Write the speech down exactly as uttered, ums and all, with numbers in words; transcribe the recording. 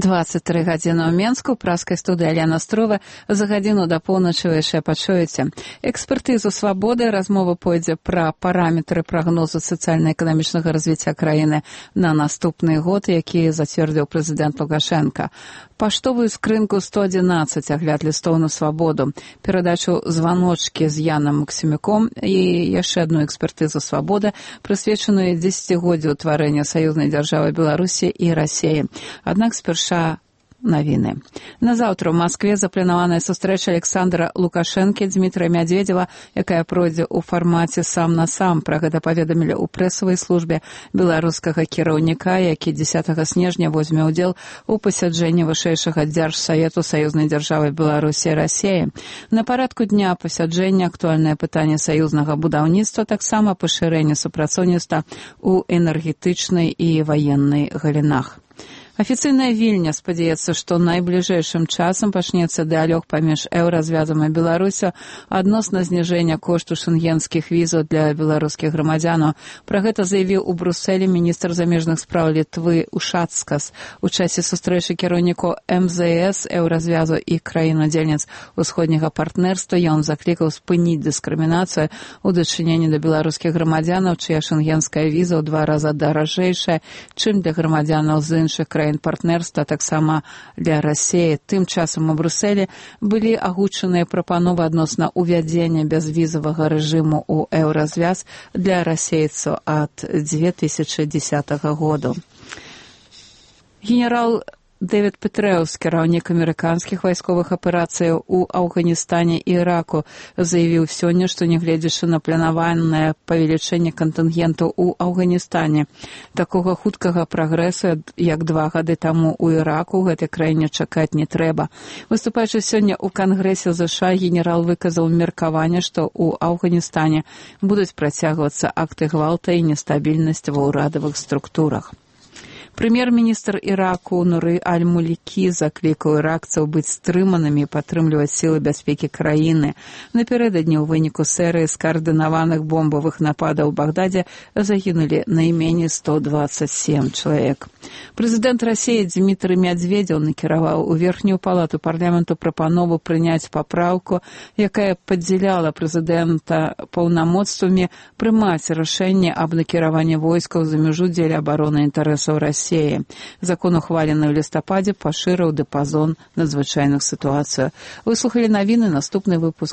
двадцать тры гадзіны ў Менску, праскай студыі Алена Строва. За гадзіну да поўначы вы яшчэ пачуеце. Экспертызу свабоды, размова пойдзе пра параметры прагнозу сацыяльна-эканамічнага развіцця краіны на наступны год, які зацвердзіў прэзідэнт Лукашенка. Паштовую скрынку сто адзінаццаць, агляд лістоў на свабоду, перадачу званочкі з Янам Максімюком і яшчэ адну экспертызу свабоды, прысвечаную дзесяцігоддзю ўтварэння саюзнай дзяржавы Беларусі і Расіі. Аднак спярша навіны. На заўтра ў Маскве запланаваная сустрэча Александра Лукашэнкі, Дмітрия Мядведзева, якая пройдзе ў фармаце сам на сам. Пра гэта паведамілі ў прэсавай службе беларускага кіраўніка, які дзесятага снежня возьме ўдзел у пасяджэнні вышэйшага дзяржсавету саюзнай дзяржавы Беларусі і Расіі. На парадку дня пасяджэння актуальнае пытанне саюзнага будаўніцтва, таксама пашырэнне супрацоўніцтва ў энергетычнай і ваеннай галінах. Афіцыйная Вільня спадзяецца, што найбліжэйшым часам пачнецца дыалог паміж еўразвязам і Беларусю адносна зніжэння кошту шэнгенскіх візаў для беларускіх грамадзянаў. Пра гэта заявіў у Брусэлі міністр замежных спраў Літвы Ушацкас. У часе сустрэчы кіраўнікоў эм зэ эс, еўразвязу і краін-удзельніц усходняга партнерства ён заклікаў спыніць дыскрымінацыю ў дачыненні да беларускіх грамадзянаў, чыя шэнгенская віза ў два раза даражэйшая, чым для грамадзянаў з іншых краін партнерства, таксама для Расіі. Тым часам у Брусэлі былі агучаныя прапановы адносна ўвядзення бязвізавага рэжыму ў еўразвяз для расейцаў ад дзве тысячы дзесятага году. Генерал Дэвід Петрэус, кіраўнік амерыканскіх вайсковых аперацыяў у Афганістане і Іраку, заявіў сёння, што нягледзячы на планаванае павелічэнне кантынгенту ў Афганістане, такога хуткага прагрэсу, як два гады таму ў Іраку, у гэтай краіне чакаць не трэба. Выступаючы сёння ў Кангрэсе ЗША, генерал выказаў меркаванне, што ў Афганістане будуць працягвацца акты гвалта і нестабільнасць ва ўрадавых структурах. Прэм'ер-міністр Іраку Нуры Аль-Мулікі заклікаў іракцаў быць стрыманымі і падтрымліваць сілы бяспекі краіны. Напярэдадні ў выніку серыі скаардынаваных бомбавых нападаў у Багдадзе загінулі найменей сто дваццаць сем чалавек. Прэзідэнт Расіі Дмітрий Мядведзеў накіраваў у верхнюю палату парламенту прапанову прыняць папраўку, якая падзяляла прэзідэнта паўнамоцтвамі прымаць рашэнне аб накіраванні войскаў за мяжу дзеля абароны інтарэсаў Расіі. Закон, ухвалены ў лістападзе, пашырыў дыпазон надзвычайных сітуацый. Вы слухалі навіны, наступны выпуск